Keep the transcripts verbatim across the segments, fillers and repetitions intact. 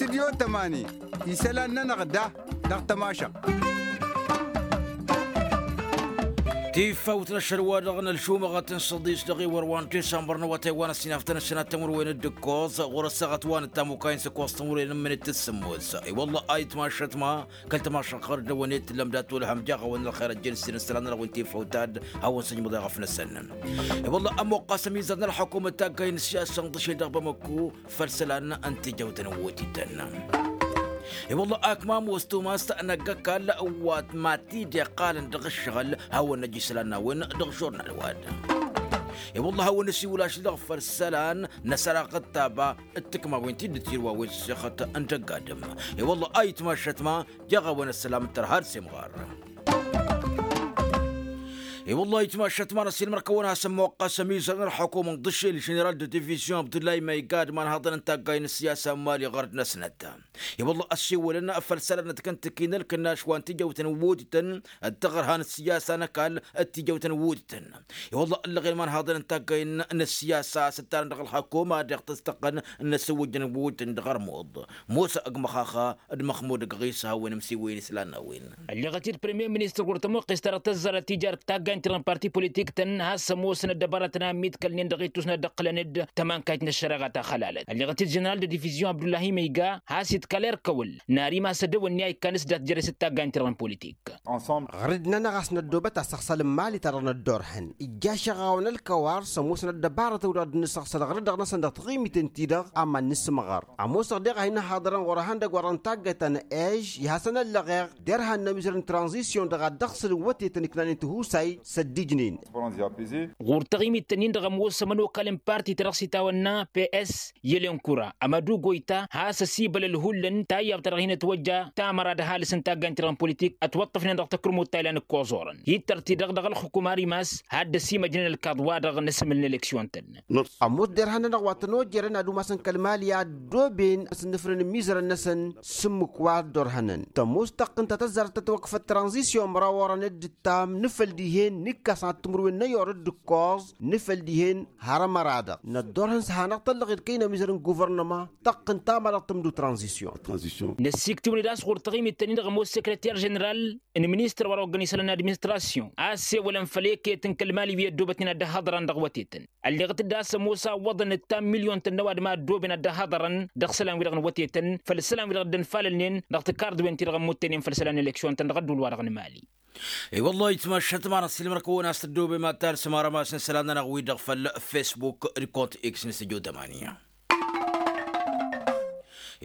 Tiyo tămani isălan-nănăɣ da dăɣ-tămašăɣt. Tifawt n-ašăl-wa-dăɣ n-ălšumăɣăt n-săḍis dăɣ-iwăr wa n-disămbăr n-awătay wa n-ăssinaf tăn-ăssinat tămurwen d-ǝkkoẓ ɣur-ăssaɣăt wa n-ăttamukay n-săkkoẓ tămurwen n-imǝnit d-sǝmmos. I-wălla a itmašăt ma kăl-tămašăɣ ɣăr-dd ăwănet tǝllăm dat-wăl hăm jaɣ-awăn ălxer ăjjăn s-inǝssălan-nănăɣ wi n-tifawt ad-hawăn-săjmăḍ i-ɣăf-năsăn. I-wălla ămoqqas ămizăr n-ălxăkumăt taggay n-ăssiyasa n-ḍǝšel dăɣ-bamăkku făll-isălan n-tijăwt n-wutităn. I-wălla akmam wăstuma s-năgg ăkall wa t-mad-t-dd-iqqalăn dăɣ-ǝššăɣǝl hawăn-năj isălan n-a-wen dăɣ-žurnal wa-dăɣ. I-wălla hawăn-năsiwǝl ašăl dăɣ-făll-isălan n-asăraɣ ăttaba d-tǝkma wen ti dd-tirwa wen s-sixăt n-dăgg-adǝm. I-wălla a itmašăt ma jaɣ-a-wen ăssălam tărha d-semɣar. I-wălla a itmašăt ma n-ăssiilmăr-kăwăn-asăn muqqas ămizăr n-ălxukum n-ḍǝšel ženeral d-divizyon abdullahi ma iga d-imanhaḍăn n-taggay n-ăssiyasa n-mali ɣărd-năsnăt. I-wălla ăssiwǝlăn făll-isălan n-ad-kăntăki n-ălkănnaš wa n-tijăwt n-wutităn d-taɣărha n-ăssiyasa n-ăkall d-tijăwt n-wutităn. I-wălla ǝllăɣen imanhaḍăn n-taggay n-ăssiyasa s-ǝttarăn dăɣ-ălxakuma deɣ tăstăqqăn n-asǝwwǝjăn n-wutităn dăɣ-ărmuḍ. Musa ăgg măxaxa d-măxmud ăgg ɣisa hawăn-imsiwǝyăn isălan n-a-wen. Ălleɣăt-dd premier ministăr ɣur-tămuqqes-ta-dăɣ tăzzarăt tijarăt taggaynt-dăɣ n-parti politik-tăn has-ămoosăn ăddăbarătăn a ǝmmiḍkălnen dăɣ-ittus n-ad-ăqqǝlăn-dd tămankayt n-ăššăreɣa ta xălalăt ălleɣăt-dd ženeral d-divizyon abdullahi măyga has-iḍkal erk ăwăl n-ar imas ădăwănni a ikkan s-dat jere-s d-taggaynt-dăɣ n-politik. Ɣăr-dd-nănăɣ a-s năddoobăt asăɣsăl n-imali-ta-dăɣ năddoorhăn ijjaš aɣawăn ălkăwar s-ămoosăn ăddăbarăt ăwdăɣ dd-nǝsăɣsăl ɣăr-dd dăɣ-năsăn dăɣ-taɣimiten-ti-dăɣ a mad-nǝsǝmɣăr. Ămoosăɣ deɣ a hin-ăhaḍărăn ɣur-ehăndăgg wa dăɣ-n taggayt ta n-ej i-hasăn-ăllăɣeɣ derhan n-ămizăr n-tranzisyon-dăɣ ad-dd-ăɣsǝlăn wătetăn iknanen tihusay s-ăddijnen. Ɣur-taɣimiten-in-dăɣ ămoos ămănokal n-parti-ta-dăɣ s-itawănna ps yelenkura ămădugoyta has-ăsibăl ălhullăn tayyab-ta-dăɣ hin-ătwăjja tamăra d-ăhalǝs n-taggaynt-dăɣ n-politik ătwăṭṭăfnen dăɣ-takǝrmut ta ilan ǝkkoẓorăn. Hittăr-t-dăɣ dăɣ-ălxukum ar imas hadd-ăsimăjnen ălkaḍ-wa-dăɣ n-asǝmǝl n-eleksyon-tăn. Ămoos derhan-nănăɣ wa tăn-ojerăn ad-umasăn kăl-mali a ăddooben asǝnnǝfrăn n-imizărăn-năsăn s-ǝmmǝk wa ăddorhănăn tămoos tăqqǝnt ta tăzzarăt tătwăkfăt tranzisyon măraw orăn dd-ǝttam n-afăl dihen n-ikkas ad-tǝmrǝwen n-ayor d-ǝkkoẓ n-afăl dihen har ămăra-dăɣ năddorhăn s-hanăɣ-tăllăɣed kăy-nămizăr n-guvărnăma. Tăqqǝnt ta mad-dăɣ tǝmdǝw tranzisyon. Năssiktǝwăn-dd a-s ɣur-taɣimit-tăn-in-dăɣ ămoos sekreter ženeral n-ministăr wa dăɣ-oggăn isălan n-administrasyon a ăssewălăn făll-eket n-kăl-mali wi ăddoobătnen ad-dd-ăhhăḍărăn dăɣ-wătetăn. Ălleɣăt-dd a-s ămoos a ǝwwăḍăn ǝttam milyon-tăn n-ăwadǝm a ăddooben ad-dd-ăhhăḍărăn dăɣ-isălan-wi-dăɣ n-wătetăn făll-isălan-wi-dăɣ dd-ănfalălnen dăɣ-tǝkard-wen-ti-dăɣ ămmuttăynen făll-isălan n-eleksyon-tăn dăɣ-ădduul-wa-dăɣ n-mali. I-wăllah itmašăt ma n-ăssiilmăr-kăwăn a-s tăddoobem ad-talsăm arămas n-isălan-nănăɣ-wi-dăɣ făll-fesbuk d-kont x n-săjo tămanya.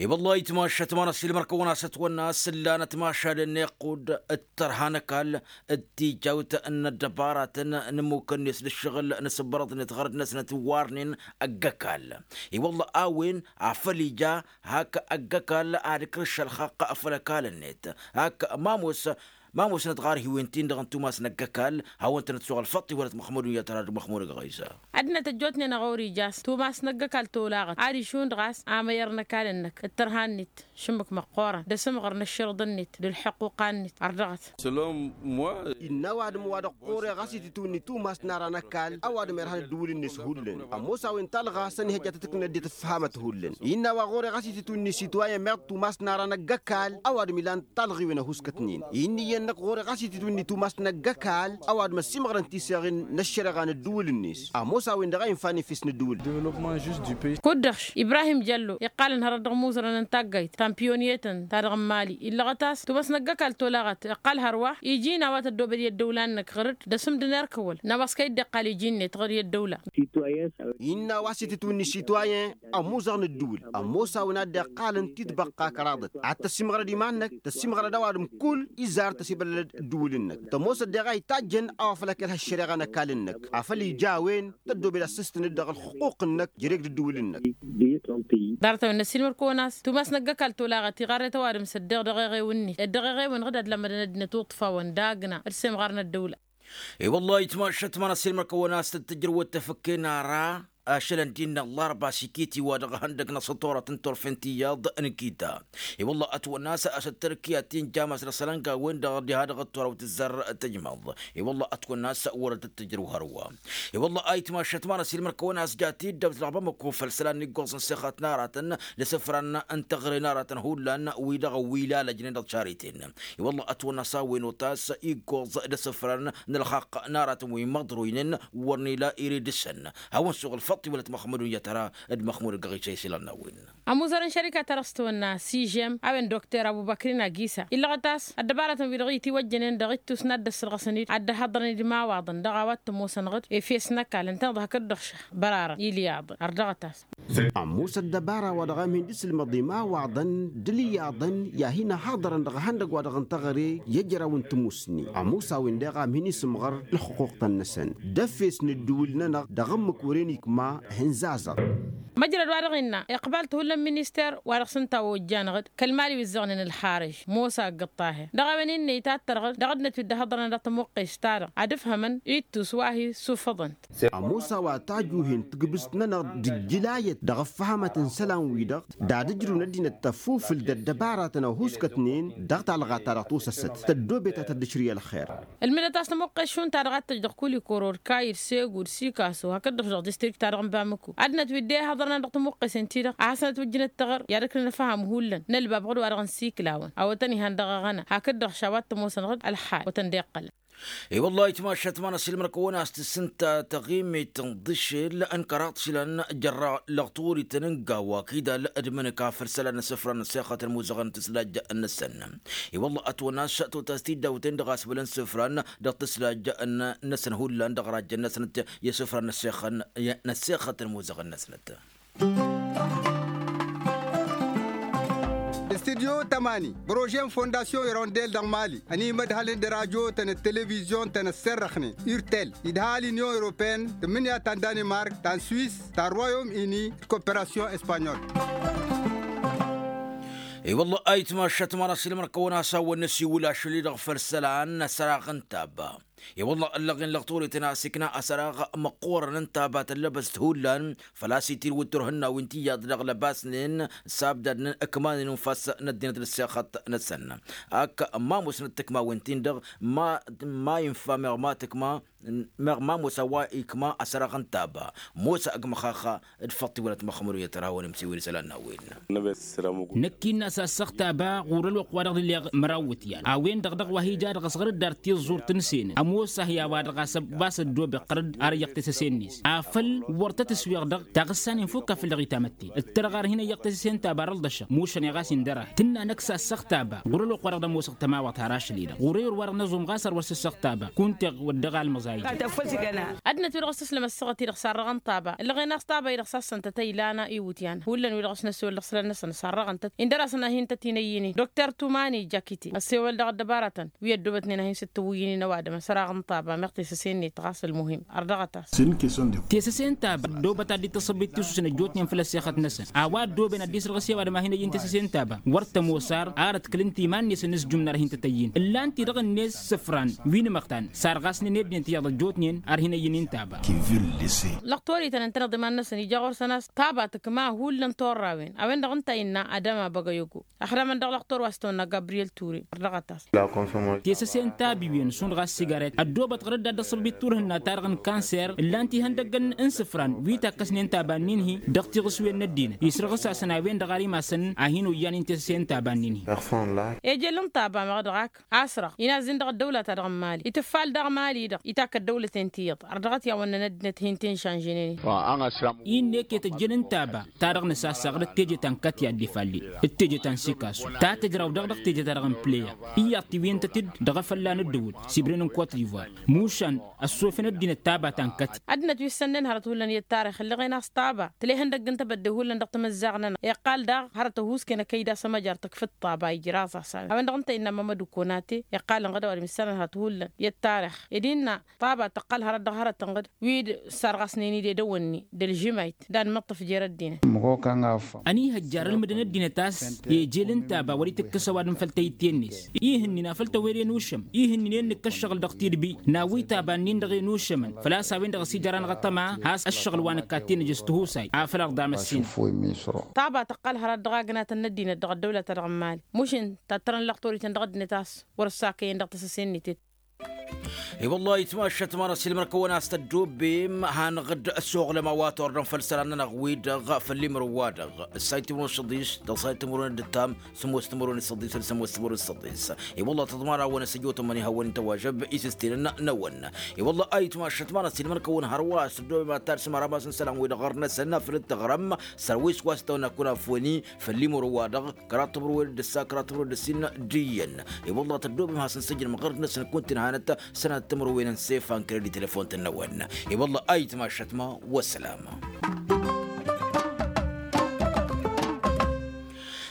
I-wăllah itmašăt ma n-ăssiilmăr-kăwăn a-s ătwănna a-s ǝllanăt mašal ănneɣ kud-dd-tărha n-ăkall d-tijawt n-ăddăbaratăn n-imukăn-net d-ǝššăɣǝl n-asǝbbărăḍ-net ɣărăt-năsnăt warnen ăgg-ăkall. I-wăllah a-wen afăl ija hak ăgg-ăkall ad-ǝkrǝš ălxaqq făll-ăkall-net hak ma ămoos ma ămoosnăt ɣar hiwen-tin-dăɣ n-tumas n-ăgg-ăkall hawăn-tăn-ătsuɣ ălfăṭṭ-i wăr-ătmăxmudun i-ad-tărad măxmud ăgg-ɣisa. Ăddinăt ăjjootnen ăɣori ija s-tumas n-ăgg-ăkall tolaɣăt ad-išund ɣas amăyăr n-ăkall-năk d-tărha-net šǝmmǝk măqqoorăn d-asǝmɣăr n-ǝššărǝḍ-net d-ǝlḥăqquqa-net. Ărdăɣăt. Innă ăwadǝm wa dăɣ-ɣur-e ɣas itǝtwǝnni tumas n-ara n-ăkall ăwadǝm irhan ăddǝwǝl-net hullan ămoos a-wen talɣa s-ănihăjja tăt-ǝknăn ăddinăt ăfhamat hullan. Innă a-wa ɣur-e ɣas itǝtwǝnni situwayen meɣ tumas n-ara n-ăgg-ăkall ăwadǝm ilan talɣiwen ăhuskătnen. Inn'-iyyăn-năk ɣur-e ɣas itǝtwǝnni tumas n-ăgg-ăkall ăwadǝm ăsimɣărăn tiseɣen n-ăššăreɣa n-ăddǝwǝl-net. Ămoos a-wen-dăɣ a infa n-efes n-ăddǝwǝl. Kud-dăɣ ibrahim jăllo iqqalăn hărăt dăɣ-imuzărăn n-taggayt tampiyonyetăn ta dăɣ-n mali illăɣăt a-s tumas n-ăgg-ăkall tolaɣăt iqqal hărwa iji n-a-wa tăddobed i-ăddăwla-năk ɣăr-dd d-asǝmdǝn erk ăwăl n-a-wa s-kăy-dd-iqqal iji-net ɣăr i-ăddăwla. Innă a-wa s-itǝtwǝnni situwayen ămuzăɣ n-ăddǝwǝl ămoos a-wen a dd-iqqalăn titbăqqa kăraḍăt ad-tăsimɣărăd iman-năk tăsimɣărăd ăwadǝm kull izar tăsibălălăd ăddǝwǝl-năk tămoosăt deɣ a itajjăn a-wa făl ăkălha ăššăreɣa n-ăkall-năk afăl ija a-wen tăddobed ad-sǝstǝnăd dăɣ-ălxuqq-năk jere-k d-ăddǝwǝl-năk. Ḍarăt-a-wen n-ăssiilmăr-kăwăn a-s tumas n-ăgg-ăkall tolaɣăt iɣarret ăwadǝm s-ăddeɣ dăɣ-eɣew-net dd-eɣeɣewăn ɣǝd ad-lămmădăn ăddinăt uṭṭfawăn d-agna d-semɣar n-ăddăwla. I-wăllah itmašăt ma n-ăssiilmăr-kăwăn a-s tăt-tǝjrǝwăt tafǝkke n-ara. ašălăn d-innă ăllarba s-iket-i wa dăɣ-ehăndăg n-asătorat n-turfen tiyyăḍ n-kita. I-wălla ătwănna a-s ăttărkǝyat ti n-jamas dăɣ-isălan ga-wen-dăɣ diha dăɣ-ăttoraw tǝzzar tǝjmăḍ. I-wălla ătwănna a-s wăr dd-tǝjrǝw hărwa. I-wălla ayǝtmašăt ma n-ăsilmăr kăwăn-asja tiddăbt dăɣ-bamăko făll-isălan n-iggoẓ n-sixăt n-aratăn d-asǝfran n-teɣăre n-aratăn hullan wi-dăɣ wi lalăjnen dăɣ-cariten. I-wălla ătwănna a-s a-wen otas iggoẓ d-asǝfran n-ălxaqq n-aratăn wi măḍroynen wăr n-ila iridǝsăn. Hawăn suɣ ălfăṭṭ iwălăt măxmudun i-ad-tăra d-măxmud ăgg-aɣisa isǝlan n-a-wen. Ămuzăr n-šărika-ta-dăɣ s-tawănna s-ižem a-wen dokter ăbubăkrin agisa illăɣăt a-s ăddăbarătăn wi-dăɣ itwăjjănen dăɣ-ittus n-ad-dd-ăssărɣăsăn-dd ad-dd-ăhhăḍrăn d-imawaḍăn dăɣ-a-wa t-ămoosăn ɣǝd efes n-ăkall ǝntăneḍ hakd-dăɣ šăh bărarăn ilyaḍăn ărdăɣăt-as. Ămoos ăddăbara wa dăɣ-a mihǝn d-isǝlmăḍ imawaḍăn d-ilyaḍăn i-ad-hin-ăhhăḍrăn dăɣ-ehăndăgg wa dăɣ-n teɣăre i-ejăraw n-tamusni. Ămoos a-wen-dăɣ a mihǝn isǝmɣăr ǝlxǝquqtăn-năsăn d-efes n-ǝddǝwǝl-nănăɣ dăɣ-ǝmmǝk wăren ikma. Hǝnzazăɣ. Măjrăd wa dăɣ-innă iqbal-t hullan minister wa dăɣ-s ǝnta a ojjan ɣǝd kăl-mali wi ǝzzăɣnen ălxarǝž mosa ăgg-ăṭṭaher dăɣ-a-wen innă itattăr ɣǝd dăɣ-ăddinăt wi dd-ăhhăḍrănăn dăɣ-tămuqqes-ta-dăɣ ad-ǝfhămăn ittus wa hi-issufăḍăn. Ămoos a-wa tajuhen tǝgbǝst-nănăɣ d-ǝjjǝlayăt dăɣ-ăffăhamăt n-isălan-wi-dăɣ d-ad-ǝjrǝw n-ăddinăt tăffufǝl d-ăddăbaratăn ăhuuskătnen dăɣ-talɣa-ta-dăɣ tosăsăt tăddoobet ad-tăddǝšrǝy ălxer. Ǝlmǝdăt a-s tămuqqes šund-ta-dăɣ a t-tăj dăɣ-kulikoro d-kayǝd segud sikaso hakd-dăɣ-š dăɣ-distrikt-ta-dăɣ n-bamǝko ăddinăt wi dd-e-ihăḍrănăn dăɣ-tămuqqesen-ti-dăɣ a hasăn-ătwǝjjǝn ăttăɣăr i-ad-ǝknăn ăfham hullan n-ălbab ɣǝd-wa-dăɣ n-siklawăn awătăn ihăn dăɣ-aɣăna hakd-dăɣ š-a-wa t-ămoosăn ɣǝd ălxal wătăn dd-iqqălăn. I-wăllah ayǝtmašat ma n-asǝlmăr-kăwăn a-s tǝssǝnta taɣimet n-iḍǝšel n-kăraḍ šilăn jărra lăɣturităn n-gawa kidal d-imǝnǝka făll-isălan n-isǝfran n-asixăt ălmuzăɣăn n-tǝslaj-năsăn. I-wăllah ătwănna a-s totas tiddawten dăɣ-asbălăn isǝfran dăɣ-tǝslaj-năsăn hullan dăɣ-rajjăn-năsăn i-isǝfran n-asixăt ălmuzăɣăn-năsnăt. Studyo tămani bărožen fondasyon irondel dăɣ-mali ănimădhălăn d-rajotăn d-televizyon-tăn ăsserrăxnen urtel idha l-inyon europeen tǝmmǝnǝya ta n-danimark ta n-swis ta n-royom ini d-koperasyon espanyol. I-wălla ayǝtmašat ma n-asǝlmăr-kăwăn a-s hawăn-năsiwǝl ašăl-i-dăɣ făll-isălan n-asăraɣ n-taba. I-wălla ăllăɣen lăɣturităn a-s ikna asăraɣ măqqoorăn n-taba tăllăbăst hullan făl-a-s itirǝw d-turhǝnnawen tiyyăḍ dăɣ-lăbasnen s-abdadnen ǝkmanen unfas n-ăddinăt d-ăssexăt-năsăn. Ak ma musnăt tǝkmawen-tin-dăɣ ma infa meɣ ma tǝkma meɣ ma mosa wa ikma asăraɣ n-taba mosa ăgg măxaxa d-făṭṭ iwălăt măxmăru i-ad-tărhawăn imsiwen isălan n-a-wen. Năkk-innă a-s assăɣ taba ɣur-ălwăqq-wa-dăɣ d-illeɣ măraw iwǝtyan a-wen-dăɣ dăɣ-wa hi-ja dăɣ-s ɣăr-dd ar tiẓẓurt n-senen ămoos-ahi a-wa dăɣ-a-s ăbas ăddoobăɣ ɣăr-dd ar iyyăɣ tesăse-net afăl wăr tăt-ǝsweɣ dăɣ-taɣǝssa n-infukka făll-dăɣ itamătten d-tărɣa ar hin-ăyyăɣ tesăse n-taba ar ălḍăšăɣ mušăn i-ɣas indăr-ahi tǝnna năkk s-assăɣ taba ɣur-ălwăqq-wa-dăɣ d-ămoosăɣ tămawăɣt har ašăl-i-dăɣ ɣur-eyăr wa-dăɣ n-ăẓum ɣas ar wăr s-ăssaɣ taba kunta iɣ wăr dăɣ-almăẓ a ija. Ăddinăt wi-dăɣ s-tǝslăm ăssaɣăt-i-dăɣ sarrăɣăn taba ǝllăɣen a-s taba-i-dăɣ s-assăn-tăt ăylan iwǝtyan hullan wi-dăɣ s-năswăl dăɣ-isălan-năsăn sarrăɣăn-tăt indăr-asăn a hin-tăt-in-ăyyǝnen dokter tumani jakite ăssewăl dăɣ-ăddăbarătăn wi ăddoobătnen a hin-sǝttǝwǝyyǝnen ăwadǝm ăsăraɣ n-taba meɣ tesăse-net ɣas ălmuhim. Ărdăɣăt-as. Tesăse n-taba ăddoobăt ad-dd-tăṣṣăbbit tisus n-ăjjootnen făll-ăssexăt-năsăn a-wa ăddooben ad-dd-isrăɣ s-e-ăwadǝm a hin-ăyyǝn tesăse n-taba wăr tămoos ar arăt kǝl-ǝnta iman-net ănnăsjum n-ar hin-tăt-ăyyǝn ǝllan-t-i-dăɣ-net isǝfran wi n-imăxtan sarɣasnen i-ăddinăt iyyăḍ ăjjootnen ar hin-ăyyǝn i-n-taba. Lăqtor-ităn ǝntăneḍ iman-năsăn ija ɣur-săn a-s taba tǝkma hullan torrawen a-wen-dăɣ ǝnta a innă adăma băgăyogo. Ăxdamăn dăɣ-lăqtor wa s-tăwănna gabriyel ture ărdăɣăt-as. Tesăse n-tabiwen šund ɣas sigaret ăddoobăt ɣăr-dd ad-dd-ăṣṣăbit turhǝnna-ta-dăɣ n-kanser ǝllan-t ihăndăggăn n-isǝfran wi takkăsnen taba-nin-hi dăɣ-tiɣǝswen n-ăddinăt isrăɣǝs-asăn a-wen-dăɣ ar imasăn a hin-oyyanen tesăse n-taba-nin-hi. Ejel n-taba meɣ dăɣ-ak asrăɣ inazzin dăɣ-ăddăwla-ta-dăɣ n-mali itǝffal daɣ mali-dăɣ itakk ăddăwlăten tiyyăḍ ărdăɣăt i-a-wănnăn ăddinăt hin-t-inšanžănen-in. Innă eket ăjjel n-taba ta dăɣ-nǝsassaɣ d-teje ta n-kătyad d-ifalli d-teje ta n-sikasu ta tǝjraw daɣ dăɣ-teje ta dăɣ-n pleya iyyăḍ tiwǝyăn-tăt-dd dăɣ-efălla n-ǝddǝwǝl sibren n-kot divoir mušan ăssofen ăddinăt taba ta n-kătyad. Ăddinăt wi s-sănnen hărăt hullan i-ăttarix ǝllăɣen a-s taba tǝla ihăndăgg n-tebădde hullan dăɣ-timǝzzaɣ-nănăɣ iqqal daɣ hărăt ăhuusken ăkăyda s-ămăjar tăkf d-taba ijraẓ-as a-wen-dăɣ ǝnta innă mamăd ukonate iqqalăn ɣăd ăwadǝm issanăn hărăt hullan i-ăttarix ed innă taba tăqqăl hărăt dăɣ-hărăt n-ɣǝd wi d-sarɣasnen-dd edăwănni d-ălžǝmayt d-anmǝṭṭǝf jer-ăddinăt. Ăniihăjjar ǝlmǝdăn ăddinăt a-s ejel n-taba wăr-itǝkkǝs ăwadǝm făll-tayǝtte-net ihǝnnin a făl tăwere n-ušăm ihǝnnin i-dd-nǝkk ăššăɣǝl dăɣ-t. Idbi n-awǝy taba-nin-dăɣ enušămăn făl-a-s a-wen-dăɣ ăsijăr-anăɣ ăṭṭăma has-ǝššăɣǝl wa nǝkka t-inǝjǝs tǝhusay afăl arḍa măssinăt. Taba tăqqal hărăt dăɣ-agnatăn n-ăddinăt dăɣ-ăddăwlăt-ta-dăɣ n-imali mušǝn tattărăn lăxtorităn dăɣ-ăddinăt a-s wăr-ăssakăyăn dăɣ-tăsăse-net-ed. I-wălla ayǝtmašat ma n-ăsiilmăr-kăwăn a-s tăddobbem hanăɣ-dd ăssoɣlăm a-wa torrăm făll-isălan-nănăɣ-wi-dăɣ făll-imrǝw-wa-dăɣ ǝssay timǝrwen s-ăḍḍis dăɣ-ǝssay timǝrwen d-ǝttam sămoos timǝrwen s-ăḍḍis făll-sămoos timǝrwen s-ăḍḍis. I-wălla tăḍmanawăn ăsijăwtăm-măn ihawăn-in tăwajăb isǝstinăn-năwăn. I-wălla ayǝtmašat ma n-ăsiilmăr-kăwăn hărwa a-s tăddobbem ad-tarsǝm arămas n-isălan-wi-dăɣ ɣur-năsăn afăl dd-tăɣrăm sărwis wa s-tawănna kunafoni făll-imrǝw-wa-dăɣ kăraḍ timǝrwen d-ǝssa kăraḍ timǝrwen d-ǝssin d-iyyăn. I-wălla tăddoobem has-ǝnsǝjnăm ɣărd-năsăn kunta inhanăt sănatăt timǝrwen n-sefan kăre-dd telefon-tăn-năwăn. I-wălla ayǝtmašat ma wăssălam.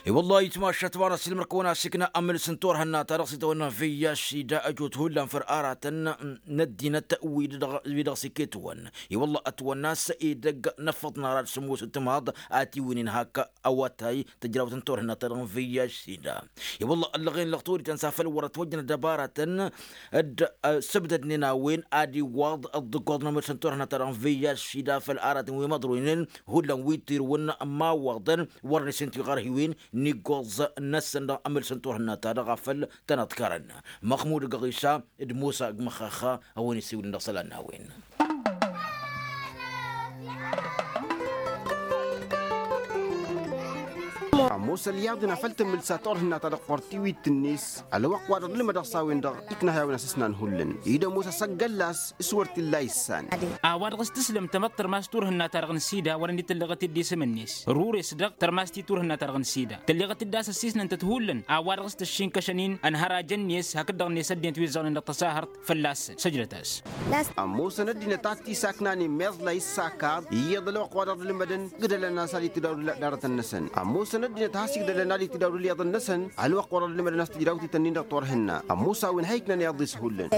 I-wălla ayǝtmašat ma n-ăsiilmăr-kăwăn a-s ikna amǝls n-turhǝnna-ta-dăɣ s-itawănna n-viyyaš sida ăjut hullan făr aratăn n-ăddinăt wi-dăɣ s-iketwăn. I-wălla ătwănna a-s edăgg n-ăffăḍ n-ara d-sămoos d-timaḍ a tiwǝynen hak awătay tǝjrawt n-turhǝnna-ta-dăɣ n-viyyaš sida. I-wălla ăllăɣen lăɣ torităn s-afăl wăr-ătwăjjăn ăddăbaratăn dd-sǝbdădnen a-wen ad-iwwaḍ ăḍḍǝggoḍ n-amǝrs n-turhǝnna-ta-dăɣ n-viyyaš sida făll-aratăn wi măḍroynen hullan wi tirǝwăn n-imawwaḍăn wăren isǝnti ɣărhiwen n-iggoẓ-năsăn dăɣ-amǝrs n-turhǝnna-ta-dăɣ afăl tăn-ăḍkarăn. Măxmud găɣisa d-musa g-măxxaxa a-wen isiwǝlăn dăɣ-isălan n-a-wen. Ămoos ălyaḍ-in afăl tǝmmǝlsa turhǝnna-ta-dăɣ ɣur-tiwit-net ălwăqq-wa-dăɣ d-ǝlmădăɣ s-a-wen-dăɣ ikna a-wen asǝsnan hullan-i d-ămoos asăggălla-s s-wăr t-illa issan. A-wa dăɣ-s tǝslăm tamăḍt tărmas turhǝnna-ta-dăɣ n-sida wărăn dd-tǝlleɣăt-dd isǝm-net rures-dăɣ tărmas ti turhǝnna-ta-dăɣ n-sida tǝlleɣăt-dd a-s ăssiisnăn-tăt hullan. A-wa dăɣ-s tǝššinkăšăn-in ănhărajăn-net hakd-dăɣ-net ăddinăt wi ǝzzăɣnen dăɣ-tasaɣărt fălla-săn săjdăt-as. Ămoosăn ăddinăt a t-isaknanen meẓla issakaḍ iyyăḍ ălwăqq-wa-dăɣ d-ǝlmădăn igdălăn a-s ad-itǝdawdǝl ăddinăt-năsăn ămoosăn ăddinăt a has-igdălăn ad-itǝdawdǝl iyyăḍăn-năsăn. Ălwăqq-wa-dăɣ d-ǝlmădăn a-s tǝjrawt-ităn-in-dăɣ turhǝnna ămoos a-wen ha iknan iyyăḍ-is hullan.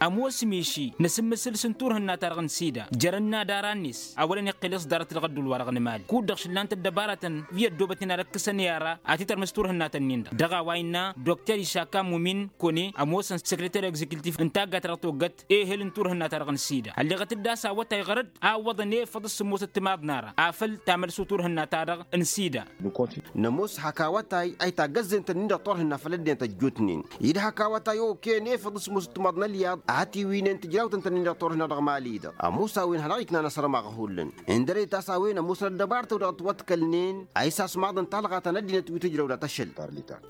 Ămoos miši n-asǝmmǝsǝl s-turhǝnna-ta-dăɣ n-sida jărăn n-adara-net a wărăn iqqǝl s-ḍarăt dăɣ-ădduul-wa-dăɣ n-imali kud-dăɣ šǝllan-t ăddăbarătăn wi ăddoobătnen ad-ǝkkǝsăn i-ara ad-t-tărmǝs turhǝnnatăn-in-dăɣ dăɣ-a-wa innă dokter išaka mumin kone ămoosăn sekreter egzekiltif n-taggayt ta dăɣ-toggăt ehel n-turhǝnna-ta-dăɣ n-sida ălleɣăt-dd a-s awătay ɣărăt a ǝwwăḍăn efăḍ s-sǝmmosăt timaḍ n-ara afăl tamălsut turhǝnna-ta-dăɣ n-sida. Nămoos hak awătay a itagg ăzzent-ǝnnin-dăɣ turhǝnna făll-ăddinăt ăjjootnen-in-dăɣ hak awătay okăyăn efăḍ s-sǝmmosăt timaḍ n-ălyaḍ a ătiwǝynen tǝjrawt ǝnta-nin-dăɣ turhǝnna dăɣ-imali-dăɣ. Ămoos a-wen hanăɣ-iknan asărmăɣ hullan ǝndăret a-s a-wen ămoosăn ăddăbarătăw dăɣ-ătwăḍkălnen a isasmaḍăn talɣa ta n-ăddinăt wi tǝjrăw dăɣ-tăšăl.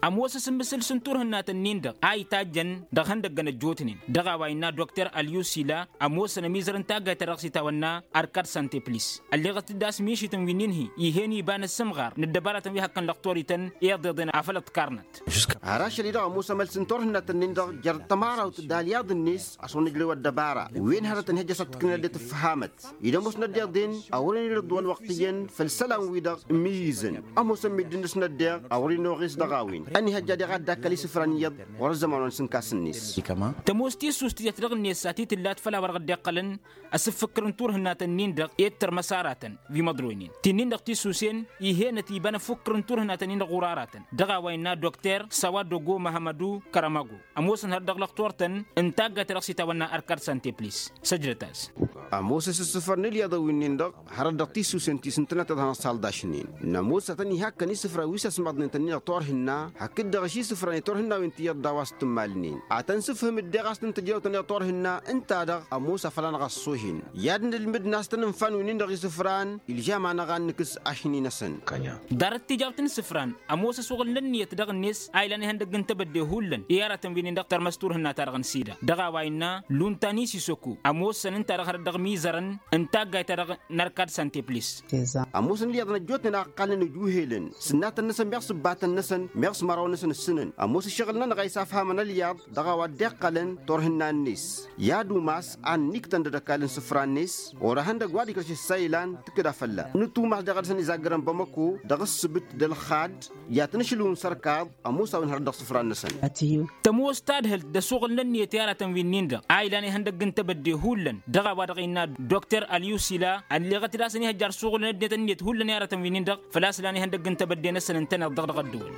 Ămoos asǝmmǝsǝl s-ǝnturhǝnnat-ǝnnin-dăɣ a itajjăn dăɣ-ihăndăggăn ăjjootnen dăɣ-a-wa innă dokter ălyusila ămoosăn ămizăr n-taggayt ta dăɣ-s itawănna ărkad santeplis. Ălleɣăt-dd a-s mišităn wi n-inhǝy ih'-en iba n-asǝmɣar n-ăddăbarătăn wi hăkkăn lăxtorităn iḍeḍen afăl ǝḍkarnăt. Har ašăl-i-dăɣ ămoos amăls n-turhǝnnat-ǝnnin-dăɣ jer-tămarawt d-alyaḍ-net a-s wăr nǝjrăw ăddăbara wen hărătăn ihăjja s-ad-tǝknǝn ăddinăt ǝffăhamăt-i d-ămoosnăt d-iḍen. A wăren irǝḍ wa ălwăqq iyyăn făll-isălan-wi-dăɣ ǝmmǝyyǝzăn ămoosăn middǝn-năsnăt deɣ a wăren oɣes dăɣ-a-wen ănihăjja deɣ ad-dd-akkăl isǝfran iyyăḍ ɣur-ăzzăman wa n-isǝnkas-net. Tămoos tissust tiyyăt dăɣ-net s-ad-t-tǝllat făll-a-wa dăɣ-dd-iqqălăn asǝffǝkkǝr n-turhǝnnat-ǝnnin-dăɣ i-dd-tărmăs aratăn wi măḍroynen ti-nin-dăɣ tissusen ih'-enăt iba n-afǝkkǝr n-turhǝnnat-ǝnnin-dăɣ ɣur-aratăn dăɣ-a-wa innă dokter sawa dogo măhămmădu kărămăgo. Ămoosăn hărăt dăɣ-lăxtor-tăn n-taggayt ta dăɣ-s itawănna ărkad santeplis. Săjdăt-as. Ămoos asǝssǝfăr n-ǝlyaḍăn wi-nin-dăɣ hărăt dăɣ-tissusen ti s-ǝntăneḍ tăḍhanăt s-aldašnen. Nămoos a tăn-ihakkăn isǝfra wi s-ăsmaḍnen-tăn-in-dăɣ turhǝnna hakd-dăɣ ašisǝfra n-turhǝnna wi n-tiyyăḍ d-a-wa s-tǝmmalnen. Ad-tăn-sǝfhǝmǝd deɣ a-s tăn-tǝjrăwtăn i-turhǝnna ǝnta-dăɣ ămoos afăl anăɣ-ăṣṣohen i-ad-nǝlmǝd n-a-s tăn-ǝnfa n-wi-nin-dăɣ isǝfran ilžam a năɣ-ad-nǝkǝs ašni-năsăn. Ḍarăt tijawt n-isǝfran ămoos ăsuɣǝl n-ǝnniyăt dăɣ-net a ilan ihăndăgg n-tebădde hullan i-aratăn wi-nin-dăɣ tărmăs turhǝnna-ta-dăɣ n-sida dăɣ-a-wa innă lunta n-isisoko ămoosăn ǝnta-dăɣ hărăt dăɣ-imizărăn n-taggayt-ta-dăɣ n-ărkad santeplis. Ămoosăn ǝlyaḍăn ăjjootnen a ǝqqalnen ăjuhelăn sǝnnatăn-năsăn meɣ s-ǝbbatăn-năsăn meɣ s-măraw-năsăn ǝssǝnăn ămoos ǝššăɣǝl-nănăɣ a isafhamăn ălyaḍ dăɣ-a-wa dd-iqqălăn turhǝnna-net. I-ad-umas ad-niktăn d-ad-ăkall n-isǝfra-net wăr-ehăndăgg wa d-ikrăš ǝssa ilan tǝkkǝd a fălla-s nǝtumas deɣ ad-dăɣ-săn izaggrăn bamăko dăɣ-ǝssǝbǝt d-ălxad i-ad-tăn-ašǝlǝwǝm s-ărkaḍ. Ămoos a-wen hărăt dăɣ-isǝfran-năsăn. Tămoos tadhǝlt d-asuɣǝl n-ǝnniyăt i-aratăn wi-nin-dăɣ a ilan ihăndăgg n-tebădde hullan dăɣ-a-wa-dăɣ innă dokter ălyusila ălleɣăt-dd a-s ăniihăjjar suɣǝl n-ăddinăt ǝnniyăt hullan i-aratăn wi-nin-dăɣ făl-a-s lan ihăndăgg n-tebădde-năsăn ǝntăneḍ-dăɣ dăɣ-ăddăwăl.